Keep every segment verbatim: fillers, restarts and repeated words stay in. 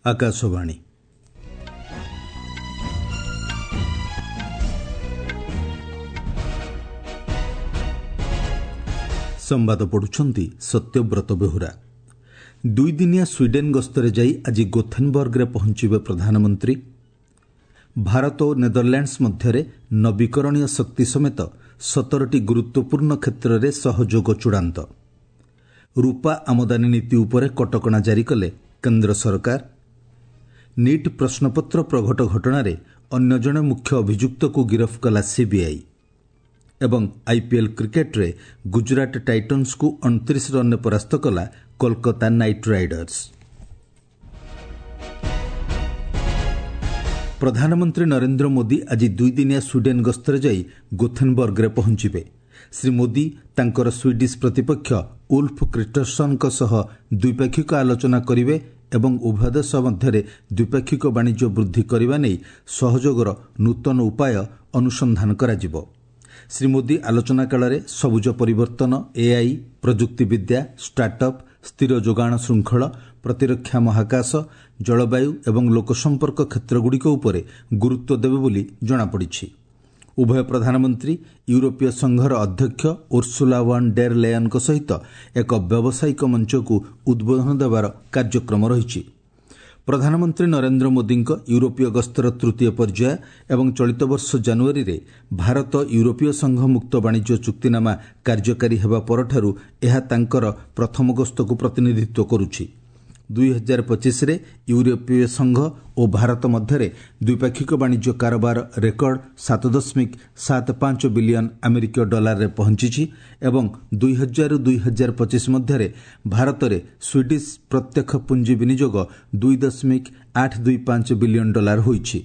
ଆକାଶବାଣୀ। ସମ୍ବାଦ ପଢୁଛନ୍ତି ସତ୍ୟବ୍ରତ ବେହୁରା। ଦୁଇଦିନିଆ ସ୍ୱିଡେନ୍ ଗସ୍ତରେ ଯାଇ ଆଜି ଗୋଥେନବର୍ଗରେ ପହଞ୍ଚିବେ ପ୍ରଧାନମନ୍ତ୍ରୀ। ଭାରତ ଓ ନେଦରଲ୍ୟାଣ୍ଡସ୍ ମଧ୍ୟରେ ନବୀକରଣୀୟ ଶକ୍ତି ସମେତ ସତରଟି ଗୁରୁତ୍ୱପୂର୍ଣ୍ଣ କ୍ଷେତ୍ରରେ ସହଯୋଗ ଚୂଡ଼ାନ୍ତ। ରୂପା ଆମଦାନୀ ନୀତି ଉପରେ କଟକଣା ଜାରି କଲେ କେନ୍ଦ୍ର ସରକାର। ନିଟ୍ ପ୍ରଶ୍ନପତ୍ର ପ୍ରଘଟ ଘଟଣାରେ ଅନ୍ୟ ଜଣେ ମୁଖ୍ୟ ଅଭିଯୁକ୍ତକୁ ଗିରଫ କଲା ସିବିଆଇ। ଏବଂ ଆଇପିଏଲ୍ କ୍ରିକେଟ୍ରେ ଗୁଜରାଟ ଟାଇଟନ୍ସକୁ ଅଣତିରିଶ ରନ୍ରେ ପରାସ୍ତ କଲା କୋଲକାତା ନାଇଟ୍ ରାଇଡର୍ସ। ପ୍ରଧାନମନ୍ତ୍ରୀ ନରେନ୍ଦ୍ର ମୋଦି ଆଜି ଦୁଇଦିନିଆ ସ୍ୱିଡେନ୍ ଗସ୍ତରେ ଯାଇ ଗୋଥେନବର୍ଗରେ ପହଞ୍ଚିବେ। ଶ୍ରୀ ମୋଦି ତାଙ୍କର ସ୍ୱିଡିଶ୍ ପ୍ରତିପକ୍ଷ ଉଲ୍ଫ କ୍ରିଷ୍ଟରସନ୍ଙ୍କ ସହ ଦ୍ୱିପାକ୍ଷିକ ଆଲୋଚନା କରିବେ ଏବଂ ଉଭୟ ଦେଶ ମଧ୍ୟରେ ଦ୍ୱିପାକ୍ଷିକ ବାଣିଜ୍ୟ ବୃଦ୍ଧି କରିବା ନେଇ ସହଯୋଗର ନୂତନ ଉପାୟ ଅନୁସନ୍ଧାନ କରାଯିବ। ଶ୍ରୀ ମୋଦି ଆଲୋଚନା କାଳରେ ସବୁଜ ପରିବର୍ତ୍ତନ, ଏଆଇ, ପ୍ରଯୁକ୍ତିବିଦ୍ୟା, ଷ୍ଟାର୍ଟଅପ୍, ସ୍ଥିର ଯୋଗାଣ ଶୃଙ୍ଖଳ, ପ୍ରତିରକ୍ଷା, ମହାକାଶ, ଜଳବାୟୁ ଏବଂ ଲୋକସମ୍ପର୍କ କ୍ଷେତ୍ରଗୁଡ଼ିକ ଉପରେ ଗୁରୁତ୍ୱ ଦେବେ ବୋଲି ଜଣାପଡ଼ିଛି। ଉଭୟ ପ୍ରଧାନମନ୍ତ୍ରୀ ୟୁରୋପୀୟ ସଂଘର ଅଧ୍ୟକ୍ଷ ଉର୍ସୁଲା ୱାନ୍ ଡେର୍ ଲେୟନ୍ଙ୍କ ସହିତ ଏକ ବ୍ୟବସାୟିକ ମଞ୍ଚକୁ ଉଦ୍ବୋଧନ ଦେବାର କାର୍ଯ୍ୟକ୍ରମ ରହିଛି। ପ୍ରଧାନମନ୍ତ୍ରୀ ନରେନ୍ଦ୍ର ମୋଦିଙ୍କ ୟୁରୋପୀୟ ଗସ୍ତର ତୃତୀୟ ପର୍ଯ୍ୟାୟ ଏବଂ ଚଳିତ ବର୍ଷ ଜାନୁଆରୀରେ ଭାରତ ୟୁରୋପୀୟ ସଂଘ ମୁକ୍ତ ବାଣିଜ୍ୟ ଚୁକ୍ତିନାମା କାର୍ଯ୍ୟକାରୀ ହେବା ପରଠାରୁ ଏହା ତାଙ୍କର ପ୍ରଥମ ଗସ୍ତକୁ ପ୍ରତିନିଧିତ୍ୱ କରୁଛି। ଦୁଇ ହଜାର ପଚିଶରେ ୟୁରୋପୀୟ ସଂଘ ଓ ଭାରତ ମଧ୍ୟରେ ଦ୍ୱିପାକ୍ଷିକ ବାଣିଜ୍ୟ କାରବାର ରେକର୍ଡ ସାତ ଦଶମିକ ସାତ ପାଞ୍ଚ ବିଲିୟନ ଆମେରିକୀୟ ଡଲାରରେ ପହଞ୍ଚିଛି ଏବଂ ଦୁଇ ହଜାରରୁ ଦୁଇ ହଜାର ପଚିଶ ମଧ୍ୟରେ ଭାରତରେ ସ୍ୱିଡିଶ୍ ପ୍ରତ୍ୟକ୍ଷ ପୁଞ୍ଜି ବିନିଯୋଗ ଦୁଇ ଦଶମିକ ଆଠ ଦୁଇ ପାଞ୍ଚ ବିଲିୟନ ଡଲାର ହୋଇଛି।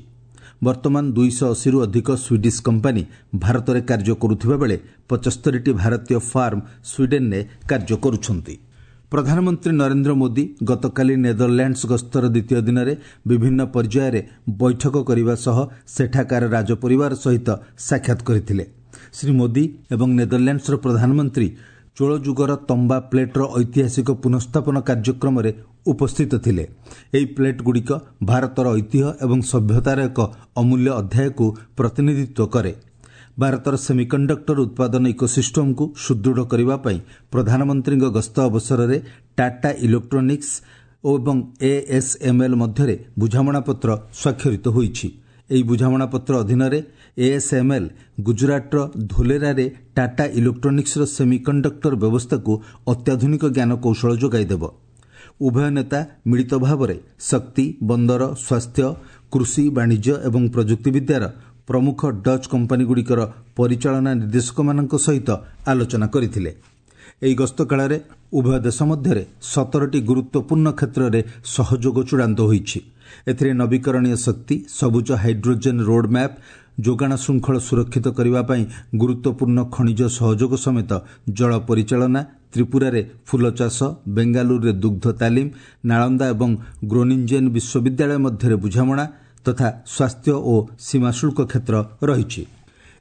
ବର୍ତ୍ତମାନ ଦୁଇଶହ ଅଶୀରୁ ଅଧିକ ସ୍ୱିଡିଶ୍ କମ୍ପାନୀ ଭାରତରେ କାର୍ଯ୍ୟ କରୁଥିବା ବେଳେ ପଚସ୍ତରୀଟି ଭାରତୀୟ ଫାର୍ମ ସ୍ୱିଡେନ୍ରେ କାର୍ଯ୍ୟ କରୁଛନ୍ତି। ପ୍ରଧାନମନ୍ତ୍ରୀ ନରେନ୍ଦ୍ର ମୋଦି ଗତକାଲି ନେଦରଲ୍ୟାଣ୍ଡସ୍ ଗସ୍ତର ଦ୍ୱିତୀୟ ଦିନରେ ବିଭିନ୍ନ ପର୍ଯ୍ୟାୟରେ ବୈଠକ କରିବା ସହ ସେଠାକାର ରାଜପରିବାର ସହିତ ସାକ୍ଷାତ କରିଥିଲେ। ଶ୍ରୀ ମୋଦି ଏବଂ ନେଦରଲ୍ୟାଣ୍ଡସ୍ର ପ୍ରଧାନମନ୍ତ୍ରୀ ଚୋଳ ଯୁଗର ତମ୍ବା ପ୍ଲେଟ୍ର ଐତିହାସିକ ପୁନଃସ୍ଥାପନ କାର୍ଯ୍ୟକ୍ରମରେ ଉପସ୍ଥିତ ଥିଲେ। ଏହି ପ୍ଲେଟ୍ଗୁଡ଼ିକ ଭାରତର ଐତିହ୍ୟ ଏବଂ ସଭ୍ୟତାର ଏକ ଅମୂଲ୍ୟ ଅଧ୍ୟାୟକୁ ପ୍ରତିନିଧିତ୍ୱ କରେ। ଭାରତର ସେମିକଣ୍ଡକ୍ଟର ଉତ୍ପାଦନ ଇକୋସିଷ୍ଟମକୁ ସୁଦୃଢ଼ କରିବା ପାଇଁ ପ୍ରଧାନମନ୍ତ୍ରୀଙ୍କ ଗସ୍ତ ଅବସରରେ ଟାଟା ଇଲେକ୍ଟ୍ରୋନିକ୍ସ ଏବଂ ଏଏସ୍ଏମ୍ଏଲ୍ ମଧ୍ୟରେ ବୁଝାମଣାପତ୍ର ସ୍ୱାକ୍ଷରିତ ହୋଇଛି। ଏହି ବୁଝାମଣାପତ୍ର ଅଧୀନରେ ଏଏସ୍ଏମ୍ଏଲ୍ ଗୁଜରାଟର ଧୋଲେରାରେ ଟାଟା ଇଲେକ୍ଟ୍ରୋନିକ୍ସର ସେମିକଣ୍ଡକ୍ଟର ବ୍ୟବସ୍ଥାକୁ ଅତ୍ୟାଧୁନିକ ଜ୍ଞାନକୌଶଳ ଯୋଗାଇଦେବ। ଉଭୟ ନେତା ମିଳିତ ଭାବରେ ଶକ୍ତି, ବନ୍ଦର, ସ୍ୱାସ୍ଥ୍ୟ, କୃଷି, ବାଣିଜ୍ୟ ଏବଂ ପ୍ରଯୁକ୍ତିବିଦ୍ୟାର ପ୍ରମୁଖ ଡଚ୍ କମ୍ପାନୀଗୁଡ଼ିକର ପରିଚାଳନା ନିର୍ଦ୍ଦେଶକମାନଙ୍କ ସହିତ ଆଲୋଚନା କରିଥିଲେ। ଏହି ଗସ୍ତ କାଳରେ ଉଭୟ ଦେଶ ମଧ୍ୟରେ ସତରଟି ଗୁରୁତ୍ୱପୂର୍ଣ୍ଣ କ୍ଷେତ୍ରରେ ସହଯୋଗ ଚୂଡ଼ାନ୍ତ ହୋଇଛି। ଏଥିରେ ନବୀକରଣୀୟ ଶକ୍ତି, ସବୁଜ ହାଇଡ୍ରୋଜେନ୍ ରୋଡ୍ ମ୍ୟାପ୍, ଯୋଗାଣ ଶୃଙ୍ଖଳ ସୁରକ୍ଷିତ କରିବା ପାଇଁ ଗୁରୁତ୍ୱପୂର୍ଣ୍ଣ ଖଣିଜ ସହଯୋଗ ସମେତ ଜଳ ପରିଚାଳନା, ତ୍ରିପୁରାରେ ଫୁଲ ଚାଷ, ବେଙ୍ଗାଲୁରୁରେ ଦୁଗ୍ଧ ତାଲିମ, ନାଳନ୍ଦା ଏବଂ ଗ୍ରୋନିଞ୍ଜେନ୍ ବିଶ୍ୱବିଦ୍ୟାଳୟ ମଧ୍ୟରେ ବୁଝାମଣା ତଥା ସ୍ୱାସ୍ଥ୍ୟ ଓ ସୀମାଶୁଳ୍କ କ୍ଷେତ୍ର ରହିଛି।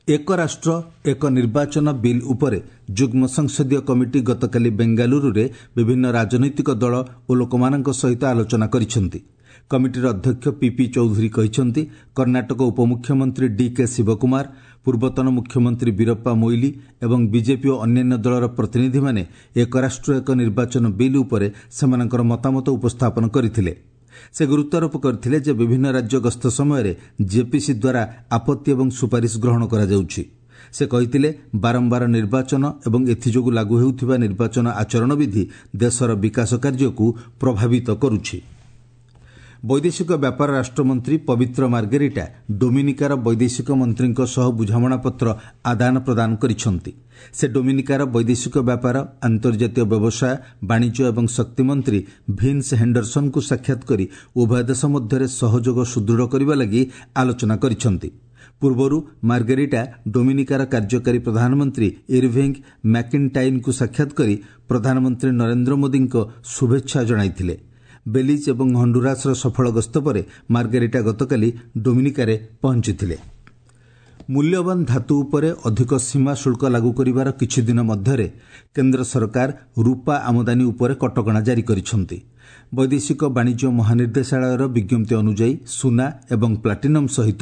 ଏକ ରାଷ୍ଟ୍ର ଏକ ନିର୍ବାଚନ ବିଲ୍ ଉପରେ ଯୁଗ୍ମ ସଂସଦୀୟ କମିଟି ଗତକାଲି ବେଙ୍ଗାଲୁରୁରେ ବିଭିନ୍ନ ରାଜନୈତିକ ଦଳ ଓ ଲୋକମାନଙ୍କ ସହିତ ଆଲୋଚନା କରିଛନ୍ତି। କମିଟିର ଅଧ୍ୟକ୍ଷ ପିପି ଚୌଧୁରୀ କହିଛନ୍ତି, କର୍ଣ୍ଣାଟକ ଉପମୁଖ୍ୟମନ୍ତ୍ରୀ ଡିକେ ଶିବକୁମାର, ପୂର୍ବତନ ମୁଖ୍ୟମନ୍ତ୍ରୀ ବୀରପ୍ପା ମୋଇଲି ଏବଂ ବିଜେପି ଓ ଅନ୍ୟାନ୍ୟ ଦଳର ପ୍ରତିନିଧିମାନେ ଏକ ରାଷ୍ଟ୍ର ଏକ ନିର୍ବାଚନ ବିଲ୍ ଉପରେ ସେମାନଙ୍କର ମତାମତ ଉପସ୍ଥାପନ କରିଥିଲେ। ସେ ଗୁରୁତ୍ୱାରୋପ କରିଥିଲେ ଯେ ବିଭିନ୍ନ ରାଜ୍ୟ ଗସ୍ତ ସମୟରେ ଜେପିସି ଦ୍ୱାରା ଆପତ୍ତି ଏବଂ ସୁପାରିଶ ଗ୍ରହଣ କରାଯାଉଛି। ସେ କହିଥିଲେ, ବାରମ୍ବାର ନିର୍ବାଚନ ଏବଂ ଏଥିଯୋଗୁଁ ଲାଗୁ ହେଉଥିବା ନିର୍ବାଚନ ଆଚରଣ ବିଧି ଦେଶର ବିକାଶ କାର୍ଯ୍ୟକୁ ପ୍ରଭାବିତ କରୁଛି। ବୈଦେଶିକ ବ୍ୟାପାର ରାଷ୍ଟ୍ରମନ୍ତ୍ରୀ ପବିତ୍ର ମାର୍ଗେରିଟା ଡୋମିନିକାର ବୈଦେଶିକ ମନ୍ତ୍ରୀଙ୍କ ସହ ବୁଝାମଣାପତ୍ର ଆଦାନ ପ୍ରଦାନ କରିଛନ୍ତି। ସେ ଡୋମିନିକାର ବୈଦେଶିକ ବ୍ୟାପାର, ଆନ୍ତର୍ଜାତୀୟ ବ୍ୟବସାୟ, ବାଣିଜ୍ୟ ଏବଂ ଶକ୍ତି ମନ୍ତ୍ରୀ ଭିନ୍ସ ହେଣ୍ଡରସନ୍ଙ୍କୁ ସାକ୍ଷାତ କରି ଉଭୟ ଦେଶ ମଧ୍ୟରେ ସହଯୋଗ ସୁଦୃଢ଼ କରିବା ଲାଗି ଆଲୋଚନା କରିଛନ୍ତି। ପୂର୍ବରୁ ମାର୍ଗେରିଟା ଡୋମିନିକାର କାର୍ଯ୍ୟକାରୀ ପ୍ରଧାନମନ୍ତ୍ରୀ ଇରଭିଙ୍ଗ ମ୍ୟାକିନ୍ଟାଇନ୍ଙ୍କୁ ସାକ୍ଷାତ କରି ପ୍ରଧାନମନ୍ତ୍ରୀ ନରେନ୍ଦ୍ର ମୋଦିଙ୍କ ଶୁଭେଚ୍ଛା ଜଣାଇଥିଲେ। ବେଲିଜ୍ ଏବଂ ହଣ୍ଡୁରାସର ସଫଳ ଗସ୍ତ ପରେ ମାର୍ଗେରିଟା ଗତକାଲି ଡୋମିନିକାରେ ପହଞ୍ଚିଥିଲେ। ମୂଲ୍ୟବାନ ଧାତୁ ଉପରେ ଅଧିକ ସୀମା ଶୁଳ୍କ ଲାଗୁ କରିବାର କିଛି ଦିନ ମଧ୍ୟରେ କେନ୍ଦ୍ର ସରକାର ରୂପା ଆମଦାନୀ ଉପରେ କଟକଣା ଜାରି କରିଛନ୍ତି। ବୈଦେଶିକ ବାଣିଜ୍ୟ ମହାନିର୍ଦ୍ଦେଶାଳୟର ବିଜ୍ଞପ୍ତି ଅନୁଯାୟୀ ସୁନା ଏବଂ ପ୍ଲାଟିନମ୍ ସହିତ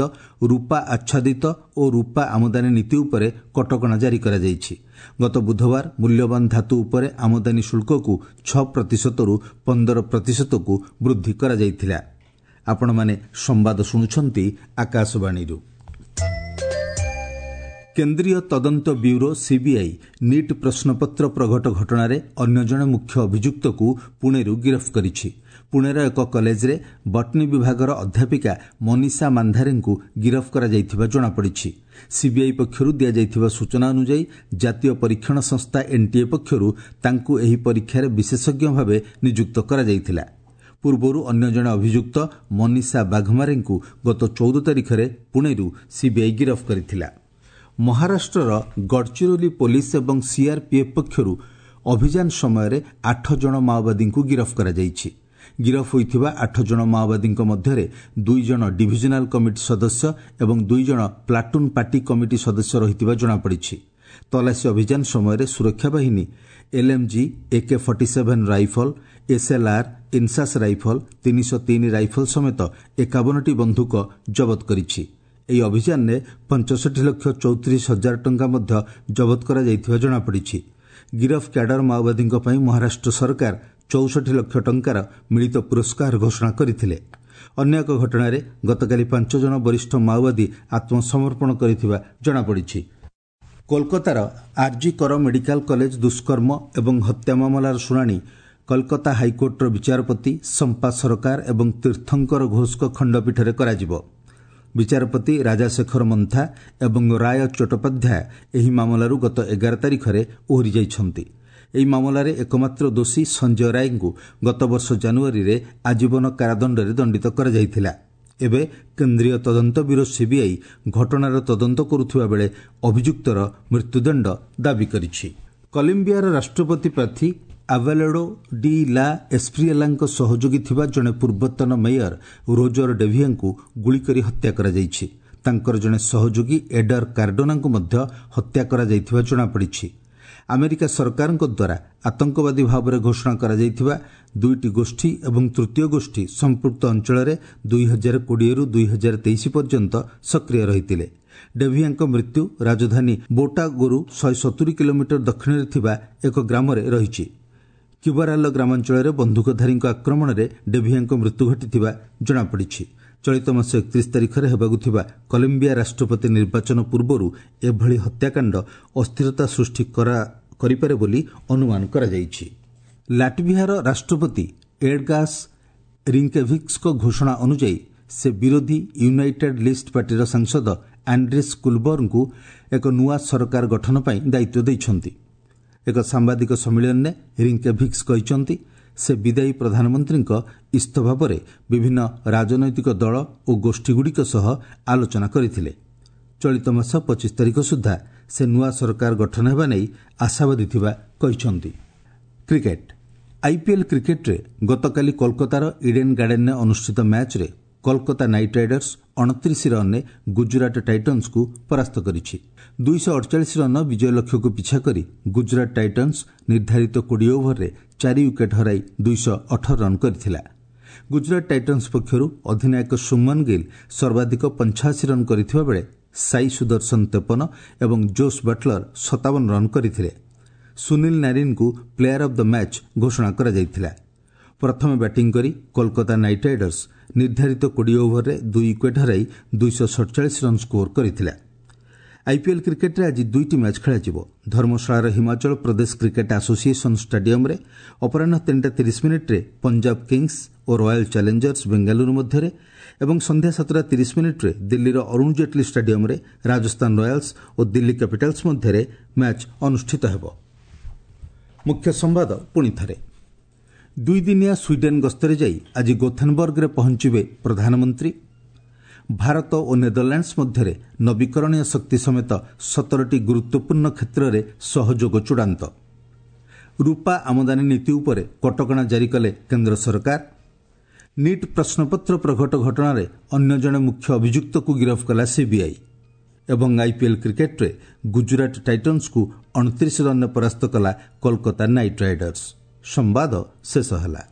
ରୂପା ଆଚ୍ଛାଦିତ ଓ ରୂପା ଆମଦାନୀ ନୀତି ଉପରେ କଟକଣା ଜାରି କରାଯାଇଛି। ଗତ ବୁଧବାର ମୂଲ୍ୟବାନ ଧାତୁ ଉପରେ ଆମଦାନୀ ଶୁଳ୍କକୁ ଛଅ ପ୍ରତିଶତରୁ ପନ୍ଦର ପ୍ରତିଶତକୁ ବୃଦ୍ଧି କରାଯାଇଥିଲା। ଆପଣମାନେ ସମ୍ବାଦ ଶୁଣୁଛନ୍ତି ଆକାଶବାଣୀରୁ। କେନ୍ଦ୍ରୀୟ ତଦନ୍ତ ବ୍ୟୁରୋ ସିବିଆଇ ନିଟ୍ ପ୍ରଶ୍ନପତ୍ର ପ୍ରଘଟ ଘଟଣାରେ ଅନ୍ୟ ଜଣେ ମୁଖ୍ୟ ଅଭିଯୁକ୍ତକୁ ପୁଣେରୁ ଗିରଫ କରିଛି। ପୁଣେର ଏକ କଲେଜରେ ବଟନୀ ବିଭାଗର ଅଧ୍ୟାପିକା ମନୀଷା ମାନ୍ଧାରେଙ୍କୁ ଗିରଫ କରାଯାଇଥିବା ଜଣାପଡ଼ିଛି। ସିବିଆଇ ପକ୍ଷରୁ ଦିଆଯାଇଥିବା ସୂଚନା ଅନୁଯାୟୀ ଜାତୀୟ ପରୀକ୍ଷଣ ସଂସ୍ଥା ଏନ୍ଟିଏ ପକ୍ଷରୁ ତାଙ୍କୁ ଏହି ପରୀକ୍ଷାରେ ବିଶେଷଜ୍ଞ ଭାବେ ନିଯୁକ୍ତ କରାଯାଇଥିଲା। ପୂର୍ବରୁ ଅନ୍ୟ ଜଣେ ଅଭିଯୁକ୍ତ ମନୀଷା ବାଘମାରେଙ୍କୁ ଗତ ଚଉଦ ତାରିଖରେ ପୁଣେରୁ ସିବିଆଇ ଗିରଫ କରିଥିଲା। ମହାରାଷ୍ଟ୍ରର ଗଡ଼ଚିରୋଲି ପୋଲିସ ଏବଂ ସିଆର୍ପିଏଫ୍ ପକ୍ଷରୁ ଅଭିଯାନ ସମୟରେ ଆଠ ଜଣ ମାଓବାଦୀଙ୍କୁ ଗିରଫ କରାଯାଇଛି। ଗିରଫ ହୋଇଥିବା ଆଠ ଜଣ ମାଓବାଦୀଙ୍କ ମଧ୍ୟରେ ଦୁଇ ଜଣ ଡିଭିଜନାଲ କମିଟି ସଦସ୍ୟ ଏବଂ ଦୁଇ ଜଣ ପ୍ଲାଟୁନ୍ ପାର୍ଟି କମିଟି ସଦସ୍ୟ ରହିଥିବା ଜଣାପଡ଼ିଛି। ତଲାସୀ ଅଭିଯାନ ସମୟରେ ସୁରକ୍ଷା ବାହିନୀ LMG, AK forty seven rifle, SLR, INSAS rifle, ତିନିଶହ ତିନି ରାଇଫଲ ସମେତ ଏକାବନଟି ବନ୍ଧୁକ ଜବତ କରିଛି। ଏହି ଅଭିଯାନରେ ପଞ୍ଚଷଠି ଲକ୍ଷ ଚଉତିରିଶ ହଜାର ଟଙ୍କା ମଧ୍ୟ ଜବତ କରାଯାଇଥିବା ଜଣାପଡ଼ିଛି। ଗିରଫ କ୍ୟାଡର ମାଓବାଦୀଙ୍କ ପାଇଁ ମହାରାଷ୍ଟ୍ର ସରକାର ଚଉଷଠି ଲକ୍ଷ ଟଙ୍କାର ମିଳିତ ପୁରସ୍କାର ଘୋଷଣା କରିଥିଲେ। ଅନ୍ୟ ଏକ ଘଟଣାରେ ଗତକାଲି ପାଞ୍ଚ ଜଣ ବରିଷ୍ଠ ମାଓବାଦୀ ଆତ୍ମସମର୍ପଣ କରିଥିବା ଜଣାପଡ଼ିଛି। କୋଲକାତାର ଆର୍ଜି କର ମେଡିକାଲ କଲେଜ ଦୁଷ୍କର୍ମ ଏବଂ ହତ୍ୟା ମାମଲାର ଶୁଣାଣି କଲକାତା ହାଇକୋର୍ଟର ବିଚାରପତି ସମ୍ପା ସରକାର ଏବଂ ତୀର୍ଥଙ୍କର ଘୋଷଙ୍କ ଖଣ୍ଡପୀଠରେ କରାଯିବ। ବିଚାରପତି ରାଜାଶେଖର ମନ୍ଥା ଏବଂ ରାୟ ଚଟ୍ଟୋପାଧ୍ୟାୟ ଏହି ମାମଲାରୁ ଗତ ଏଗାର ତାରିଖରେ ଓହରି ଯାଇଛନ୍ତି। ଏହି ମାମଲାରେ ଏକମାତ୍ର ଦୋଷୀ ସଞ୍ଜୟ ରାୟଙ୍କୁ ଗତବର୍ଷ ଜାନୁଆରୀରେ ଆଜୀବନ କାରାଦଣ୍ଡରେ ଦଣ୍ଡିତ କରାଯାଇଥିଲା। ଏବେ କେନ୍ଦ୍ରୀୟ ତଦନ୍ତ ବ୍ୟୁରୋ ସିବିଆଇ ଘଟଣାର ତଦନ୍ତ କରୁଥିବା ବେଳେ ଅଭିଯୁକ୍ତର ମୃତ୍ୟୁଦଣ୍ଡ ଦାବି କରିଛି। କଲମ୍ବିଆର ରାଷ୍ଟ୍ରପତି ପ୍ରାର୍ଥୀ ଆଭାଲେଡୋ ଡି ଲା ଏସ୍ପ୍ରିଏଲାଙ୍କ ସହଯୋଗୀ ଥିବା ଜଣେ ପୂର୍ବତନ ମେୟର ରୋଜର ଡେଭିଆଙ୍କୁ ଗୁଳିକରି ହତ୍ୟା କରାଯାଇଛି। ତାଙ୍କର ଜଣେ ସହଯୋଗୀ ଏଡର କାର୍ଡୋନାଙ୍କୁ ମଧ୍ୟ ହତ୍ୟା କରାଯାଇଥିବା ଜଣାପଡ଼ିଛି। ଆମେରିକା ସରକାରଙ୍କ ଦ୍ୱାରା ଆତଙ୍କବାଦୀ ଭାବରେ ଘୋଷଣା କରାଯାଇଥିବା ଦୁଇଟି ଗୋଷ୍ଠୀ ଏବଂ ତୃତୀୟ ଗୋଷ୍ଠୀ ସମ୍ପୃକ୍ତ ଅଞ୍ଚଳରେ ଦୁଇ ହଜାର କୋଡ଼ିଏରୁ ଦୁଇ ହଜାର ତେଇଶ ପର୍ଯ୍ୟନ୍ତ ସକ୍ରିୟ ରହିଥିଲେ। ଡେଭିଆଙ୍କ ମୃତ୍ୟୁ ରାଜଧାନୀ ବୋଟାଗୋରୁ ଶହେ ସତୁରି କିଲୋମିଟର ଦକ୍ଷିଣରେ ଥିବା ଏକ ଗ୍ରାମରେ ରହିଛି। କିବରାଲ ଗ୍ରାମାଞ୍ଚଳରେ ବନ୍ଧୁକଧାରୀଙ୍କ ଆକ୍ରମଣରେ ଡେଭିଆଙ୍କ ମୃତ୍ୟୁ ଘଟିଥିବା ଜଣାପଡ଼ିଛି। ଚଳିତ ମାସ ଏକତିରିଶ ତାରିଖରେ ହେବାକୁ ଥିବା କଲମ୍ବିଆ ରାଷ୍ଟ୍ରପତି ନିର୍ବାଚନ ପୂର୍ବରୁ ଏଭଳି ହତ୍ୟାକାଣ୍ଡ ଅସ୍ଥିରତା ସୃଷ୍ଟି କରିପାରେ ବୋଲି ଅନୁମାନ କରାଯାଇଛି। ଲାଟଭିଆର ରାଷ୍ଟ୍ରପତି ଏଡଗାସ୍ ରିଙ୍କେଭିକ୍ସଙ୍କ ଘୋଷଣା ଅନୁଯାୟୀ ସେ ବିରୋଧୀ ୟୁନାଇଟେଡ୍ ଲିଷ୍ଟ ପାର୍ଟିର ସାଂସଦ ଆଣ୍ଡ୍ରିସ୍ କୁଲବରଙ୍କୁ ଏକ ନୂଆ ସରକାର ଗଠନ ପାଇଁ ଦାୟିତ୍ୱ ଦେଇଛନ୍ତି। ଏକ ସାମ୍ବାଦିକ ସମ୍ମିଳନୀରେ ରିଙ୍କେଭିକ୍ସ କହିଛନ୍ତି, ସେ ବିଦାୟୀ ପ୍ରଧାନମନ୍ତ୍ରୀଙ୍କ ଇସ୍ତଫା ପରେ ବିଭିନ୍ନ ରାଜନୈତିକ ଦଳ ଓ ଗୋଷ୍ଠୀଗୁଡ଼ିକ ସହ ଆଲୋଚନା କରିଥିଲେ। ଚଳିତ ମାସ ପଚିଶ ତାରିଖ ସୁଦ୍ଧା ସେ ନୂଆ ସରକାର ଗଠନ ହେବା ନେଇ ଆଶାବାଦୀ ଥିବା କହିଛନ୍ତି। କ୍ରିକେଟ୍ ଆଇପିଏଲ୍ କ୍ରିକେଟ୍ରେ ଗତକାଲି କୋଲକାତାର ଇଡେନ୍ ଗାର୍ଡେନ୍ରେ ଅନୁଷ୍ଠିତ ମ୍ୟାଚ୍ରେ କୋଲକାତା ନାଇଟ୍ ରାଇଡର୍ସ ଅଣତିରିଶ ରନ୍ରେ ଗୁଜରାଟ ଟାଇଟନ୍ସକୁ ପରାସ୍ତ କରିଛି। ଦୁଇଶହ ଅଡ଼ଚାଳିଶ ରନ୍ର ବିଜୟ ଲକ୍ଷ୍ୟକୁ ପିଛା କରି ଗୁଜରାଟ ଟାଇଟନ୍ସ ନିର୍ଦ୍ଧାରିତ କୋଡ଼ିଏ ଓଭରରେ ଚାରି ୱିକେଟ୍ ହରାଇ ଦୁଇଶହ ଅଠର ରନ୍ କରିଥିଲା। ଗୁଜରାଟ ଟାଇଟନ୍ସ ପକ୍ଷରୁ ଅଧିନାୟକ ସୁମନ ଗିଲ୍ ସର୍ବାଧିକ ପଞ୍ଚାଅଶୀ ରନ୍ କରିଥିବା ବେଳେ ସାଇ ସୁଦର୍ଶନ ତେପନ ଏବଂ ଜୋସ୍ ବଟଲର ସତାବନ ରନ୍ କରିଥିଲେ। ସୁନୀଲ ନାରିନ୍ଙ୍କୁ ପ୍ଲେୟାର ଅଫ୍ the match ଘୋଷଣା କରାଯାଇଥିଲା। ପ୍ରଥମେ ବ୍ୟାଟିଂ କରି କୋଲକାତା ନାଇଟ୍ ରାଇଡର୍ସ ନିର୍ଦ୍ଧାରିତ କୋଡ଼ିଏ ଓଭରରେ ଦୁଇ ୱିକେଟ୍ ହରାଇ ଦୁଇଶହ ସଡ଼ଚାଳିଶ ରନ୍ ସ୍କୋର କରିଥିଲା। ଆଇପିଏଲ୍ କ୍ରିକେଟ୍ରେ ଆଜି ଦୁଇଟି ମ୍ୟାଚ୍ ଖେଳାଯିବ। ଧର୍ମଶାଳାର ହିମାଚଳ ପ୍ରଦେଶ କ୍ରିକେଟ୍ ଆସୋସିଏସନ୍ ଷ୍ଟାଡିୟମ୍ରେ ଅପରାହ୍ନ ତିନିଟା ତିରିଶ ମିନିଟ୍ରେ ପଞ୍ଜାବ କିଙ୍ଗସ୍ ଓ ରୟାଲ୍ ଚ୍ୟାଲେଞ୍ଜର୍ସ ବେଙ୍ଗାଲୁରୁ ମଧ୍ୟରେ ଏବଂ ସନ୍ଧ୍ୟା ସାତଟା ତିରିଶ ମିନିଟ୍ରେ ଦିଲ୍ଲୀର ଅରୁଣ ଜେଟ୍ଲୀ ଷ୍ଟାଡିୟମ୍ରେ ରାଜସ୍ଥାନ ରୟାଲ୍ସ ଓ ଦିଲ୍ଲୀ କ୍ୟାପିଟାଲ୍ସ ମଧ୍ୟରେ ମ୍ୟାଚ୍ ଅନୁଷ୍ଠିତ ହେବ। ମୁଖ୍ୟ ସମ୍ବାଦ ପୁଣି ଥରେ। ଦୁଇଦିନିଆ ସ୍ୱିଡେନ୍ ଗସ୍ତରେ ଯାଇ ଆଜି ଗୋଥେନବର୍ଗରେ ପହଞ୍ଚିବେ ପ୍ରଧାନମନ୍ତ୍ରୀ। ଭାରତ ଓ ନେଦରଲ୍ୟାଣ୍ଡସ୍ ମଧ୍ୟରେ ନବୀକରଣୀୟ ଶକ୍ତି ସମେତ ସତରଟି ଗୁରୁତ୍ୱପୂର୍ଣ୍ଣ କ୍ଷେତ୍ରରେ ସହଯୋଗ ଚୂଡ଼ାନ୍ତ। ରୂପା ଆମଦାନୀ ନୀତି ଉପରେ କଟକଣା ଜାରି କଲେ କେନ୍ଦ୍ର ସରକାର। ନିଟ୍ ପ୍ରଶ୍ନପତ୍ର ପ୍ରଘଟ ଘଟଣାରେ ଅନ୍ୟ ଜଣେ ମୁଖ୍ୟ ଅଭିଯୁକ୍ତକୁ ଗିରଫ କଲା ସିବିଆଇ। ଏବଂ ଆଇପିଏଲ୍ କ୍ରିକେଟ୍ରେ ଗୁଜୁରାଟ ଟାଇଟନ୍ସକୁ ଅଣତିରିଶ ରନ୍ରେ ପରାସ୍ତ କଲା କୋଲକାତା ନାଇଟ୍ ରାଇଡର୍ସ। ସମ୍ବାଦ ଶେଷ ହେଲା।